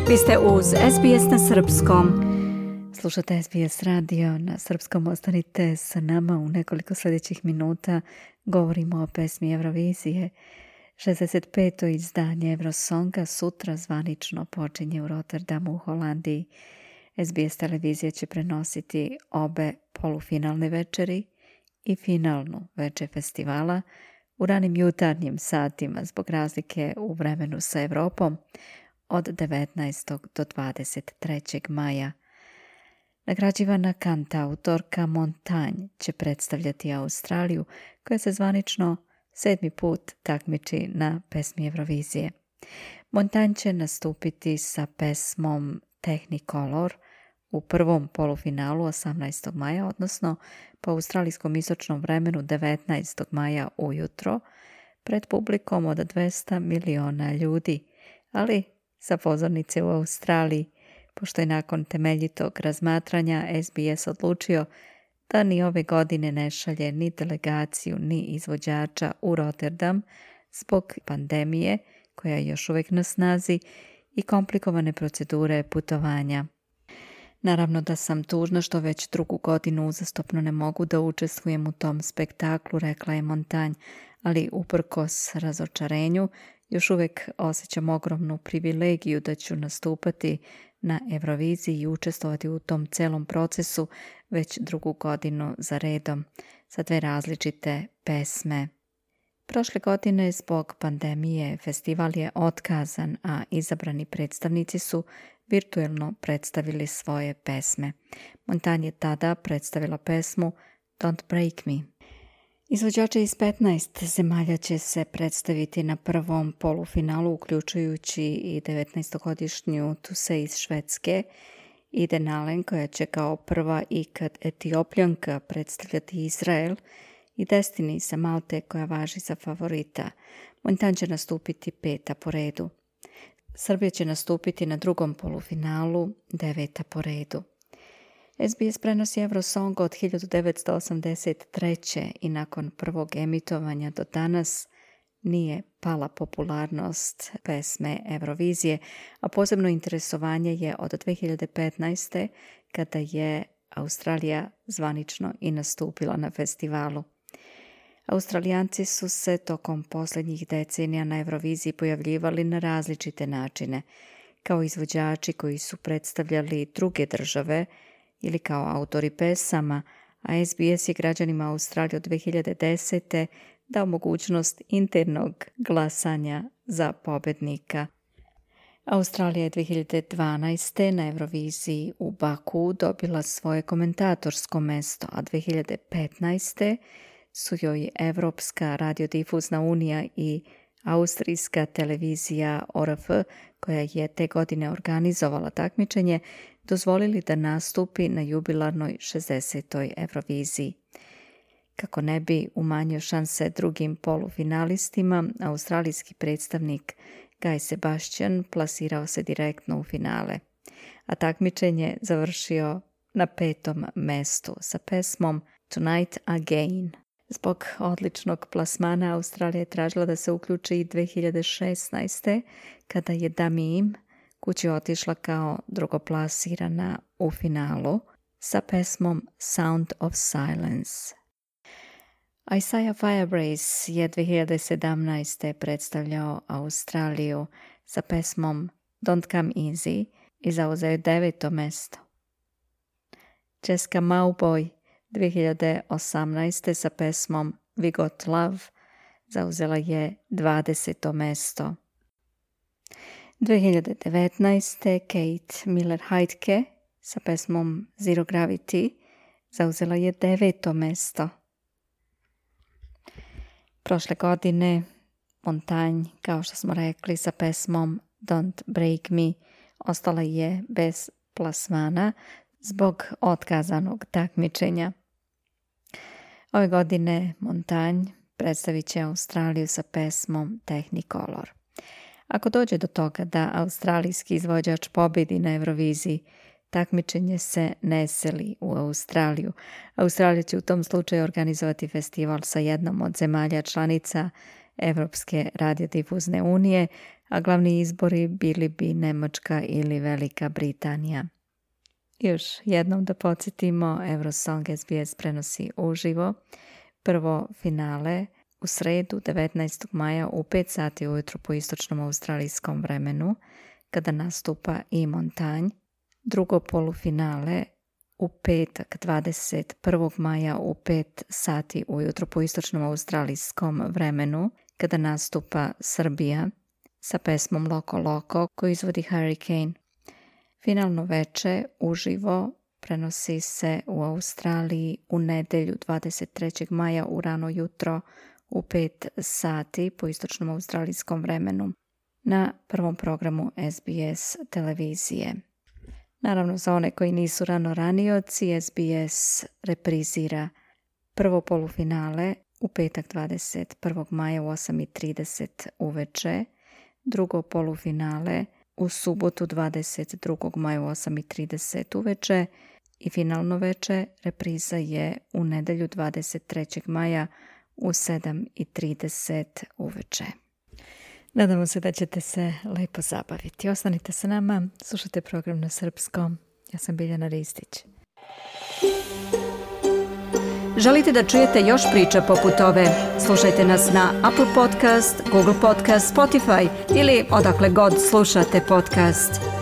Vi ste uz SBS na srpskom. Slušate SBS radio na srpskom. Ostanite sa nama u nekoliko sljedećih minuta. Govorimo o pesmi Eurovizije. 65. izdanje Eurosonga sutra zvanično počinje u Rotterdamu u Holandiji. SBS televizija će prenositi obe polufinalne večeri i finalnu večer festivala u ranim jutarnjim satima zbog razlike u vremenu sa Evropom od 19. do 23. maja. Nagrađivana kantautorka Montagne će predstavljati Australiju, koja se zvanično 7. put takmiči na pesmi Eurovizije. Montagne će nastupiti sa pesmom Technicolor u prvom polufinalu 18. maja, odnosno po australijskom istočnom vremenu 19. maja ujutro, pred publikom od 200 miliona ljudi, ali sa pozornice u Australiji, pošto je nakon temeljitog razmatranja SBS odlučio da ni ove godine ne šalje ni delegaciju ni izvođača u Rotterdam zbog pandemije koja je još uvijek na snazi i komplikovane procedure putovanja. Naravno da sam tužna što već drugu godinu uzastopno ne mogu da učestvujem u tom spektaklu, rekla je Montagne, ali uprkos razočarenju još uvijek osjećam ogromnu privilegiju da ću nastupati na Euroviziji i učestvovati u tom celom procesu već drugu godinu za redom sa dve različite pesme. Prošle godine zbog pandemije festival je otkazan, a izabrani predstavnici su virtuelno predstavili svoje pesme. Montagne je tada predstavila pesmu Don't Break Me. Izvođači iz 15 zemalja će se predstaviti na prvom polufinalu, uključujući i 19-godišnju Tusse iz Švedske, Iden Alen, koja će kao prva ikad Etiopljanka predstavljati Izrael, i Destiny sa Malte, koja važi za favorita. Montagne će nastupiti 5. po redu. Srbija će nastupiti na drugom polufinalu, 9. po redu. SBS prenosi Eurosong od 1983. i nakon prvog emitovanja do danas nije pala popularnost pesme Eurovizije, a posebno interesovanje je od 2015. kada je Australija zvanično i nastupila na festivalu. Australijanci su se tokom posljednjih decenija na Euroviziji pojavljivali na različite načine, kao izvođači koji su predstavljali druge države ili kao autori pesama, a SBS je građanima Australije od 2010. dao mogućnost internog glasanja za pobednika. Australija je 2012. na Euroviziji u Baku dobila svoje komentatorsko mesto, a 2015. su joj Evropska radiodifuzna unija i austrijska televizija ORF, koja je te godine organizovala takmičenje, dozvolili da nastupi na jubilarnoj 60. Euroviziji. Kako ne bi umanjio šanse drugim polufinalistima, australijski predstavnik Guy Sebastian plasirao se direktno u finale, a takmičenje završio na 5. mestu sa pesmom Tonight Again. Zbog odličnog plasmana Australija je tražila da se uključi i 2016. kada je Damim kući otišla kao drugoplasirana u finalu sa pesmom Sound of Silence. Isaiah Firebrace je 2017. predstavljao Australiju sa pesmom Don't Come Easy i zauzeo 9. mesto. Jessica Mauboy 2018. sa pesmom We Got Love zauzela je 20. mesto. 2019. Kate Miller-Heidke sa pesmom Zero Gravity zauzela je 9. mesto. Prošle godine Montagne, kao što smo rekli, sa pesmom Don't Break Me ostala je bez plasmana zbog otkazanog takmičenja. Ove godine Montagne predstavit će Australiju sa pesmom Technicolor. Ako dođe do toga da australijski izvođač pobjedi na Euroviziji, takmičenje se ne seli u Australiju. Australija će u tom slučaju organizovati festival sa jednom od zemalja članica Evropske radiodifuzne unije, a glavni izbori bili bi Nemačka ili Velika Britanija. Još jednom da podsjetimo, Eurosong SBS prenosi uživo. Prvo finale u sredu 19. maja u 5 sati ujutro po istočnom australijskom vremenu, kada nastupa i Montanj. Drugo polufinale u petak 21. maja u 5 sati ujutro po istočnom australijskom vremenu, kada nastupa Srbija sa pesmom Loko Loko koju izvodi Hurricane. Finalno veče uživo prenosi se u Australiji u nedjelju 23. maja u rano jutro u 5 sati po istočnom australijskom vremenu na prvom programu SBS televizije. Naravno, za one koji nisu ranioci, SBS reprizira prvo polufinale u petak 21. maja u 8:30 uveče, drugo polufinale u subotu 22. maja u 8:30 uveče i finalno veče repriza je u nedjelju 23. maja u 7:30 uveče. Nadamo se da ćete se lepo zabaviti. Ostanite sa nama, slušajte program na srpskom. Ja sam Biljana Ristić. Želite da čujete još priča poput ove? Slušajte nas na Apple Podcast, Google Podcast, Spotify ili odakle god slušate podcast.